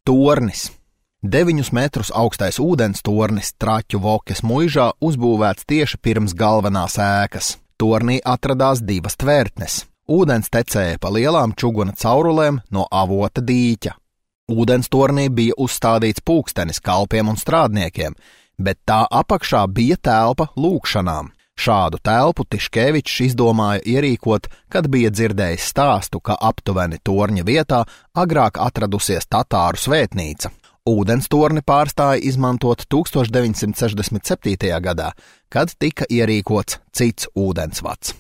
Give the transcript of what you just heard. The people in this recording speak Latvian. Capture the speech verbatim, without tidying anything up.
Tornis. Deviņus metrus augstais ūdens tornis Traķu Vokes muižā uzbūvēts tieši pirms galvenās ēkas. Tornī atradās divas tvertnes. Ūdens tecēja pa lielām čuguna caurulēm no avota dīķa. Ūdens tornī bija uzstādīts pulkstenis kalpiem un strādniekiem, bet tā apakšā bija telpa lūgšanām. Šādu telpu Tiškevičs izdomāja ierīkot, kad bija dzirdējis stāstu, ka aptuveni torņa vietā agrāk atradusies tatāru svētnīca. Ūdens torni pārstāja izmantot tūkstoš deviņsimt sešdesmit septītajā gadā, kad tika ierīkots cits ūdensvads.